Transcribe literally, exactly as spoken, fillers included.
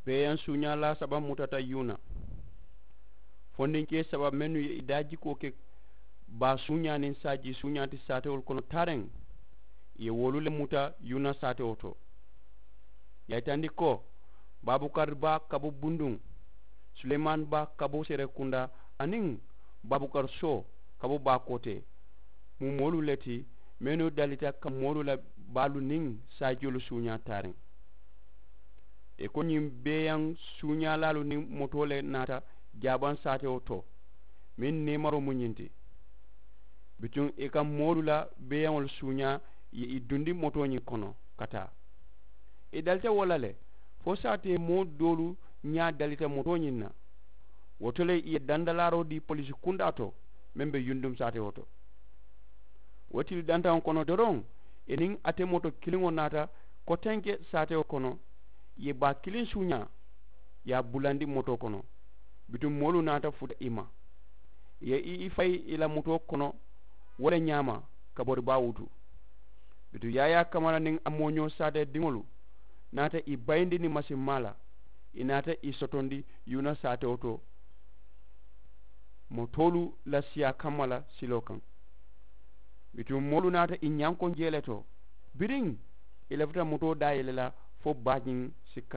Beeyaŋ suuñaalaa saba mutata yuuna. Fondinkee saba mennu ye i daa jikoo ke baa suuñaa niŋ saajii suuñaa ti saatewolu kono taariŋ, i ye wolu le muta yuuna saatewo to. Ì ye a yitandi ko, baabukari baa ka bo bunduŋ, suleemaani baa ka bo seerekundaa, aniŋ baabukari soo ka bo baakootee, mu moolu le ti mennu dalita ka moolu la baalu niŋ saajiolu suuñaa taariŋ. Ì ko ñiŋ beeyaŋ suuñaalaalu niŋ motoo le naata jaabaŋ saatewo to, meŋ neemaroo mu ñiŋ ti. Bituŋ ì ka moolu la beeyaŋolu suuñaa, ì ye ì dundi motoo ñiŋ kono ka taa. Ì dalita wo la le, fo saatee moo doolu ñaa dalita motoo ñiŋ na. Wo to le ì ye dandalaaroo dii poliisi kundaa to, meŋ be yunduŋ saatewo to. Wo tili dantaŋo kono doroŋ, ì niŋ ate moto kiliŋo naata kotenke saatewo kono, ì ye baa kiliŋ suuñaa, ì ye a bulandi motoo kono. Bituŋ moolu naata futa ì ma, ì ye i fayi ì la motoo kono. Wo le ñaama, ka bori baa wutu. Bituŋ yaayaa kamara niŋ a mooñoo saatee diŋolu naata ì bayindi niŋ masimmaa la, ì naata ì sotondi yuuna saatewo to, motoolu la siyaa kamma la siloo kaŋ. Bituŋ moolu naata ì ñankoŋ jee le to. Biriŋ ì lafita motoo daa yele la, fo baajiŋ si kana.